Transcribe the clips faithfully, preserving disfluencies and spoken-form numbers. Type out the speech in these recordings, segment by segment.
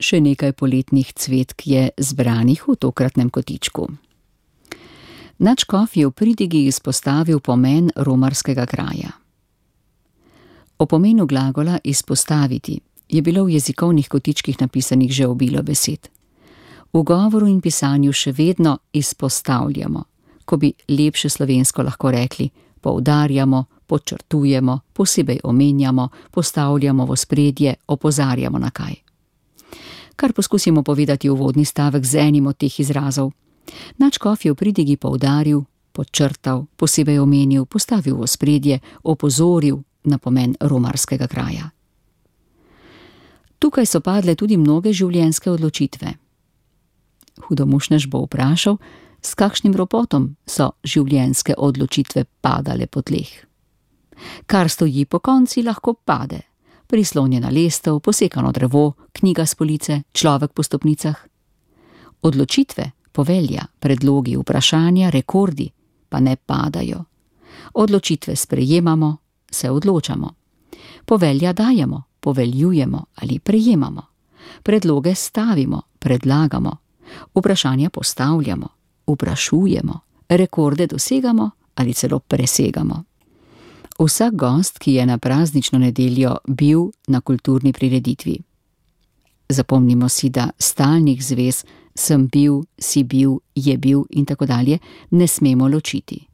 Še nekaj poletnih cvetk je zbranih v tokratnem kotičku. Nadškof je v pridigi izpostavil pomen romarskega kraja. O pomenu glagola izpostaviti je bilo v jezikovnih kotičkih napisanih že obilo besed. V govoru in pisanju še vedno izpostavljamo, ko bi lepše slovensko lahko rekli poudarjamo, podčrtujemo, posebej omenjamo, postavljamo v ospredje, opozarjamo na kaj. Kar poskusimo povedati uvodni stavek z enim od teh izrazov. Nadškof je v pridigi poudaril, podčrtal, posebej omenil, postavil v ospredje, opozoril na pomen romarskega kraja. Tukaj so padle tudi mnoge življenjske odločitve. Hudomušnež bo vprašal, s kakšnim ropotom so življenjske odločitve padale po tleh. Kar stoji po konci, lahko pade. Prislonjena lestev, posekano drevo, knjiga s police, človek po stopnicah. Odločitve, povelja, predlogi, vprašanja, rekordi pa ne padajo. Odločitve sprejemamo, se odločamo. Povelja dajemo, poveljujemo ali prejemamo. Predloge stavimo, predlagamo. Vprašanja postavljamo, vprašujemo. Rekorde dosegamo ali celo presegamo. Vsak gost, ki je na praznično nedeljo bil na kulturni prireditvi. Zapomnimo si, da stalnih zvez sem bil, si bil, je bil in tako dalje ne smemo ločiti.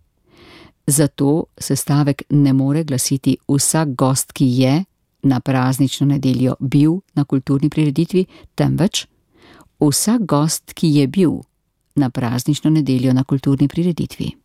Zato se stavek ne more glasiti vsak gost, ki je na praznično nedeljo bil na kulturni prireditvi, temveč vsak gost, ki je bil na praznično nedeljo na kulturni prireditvi.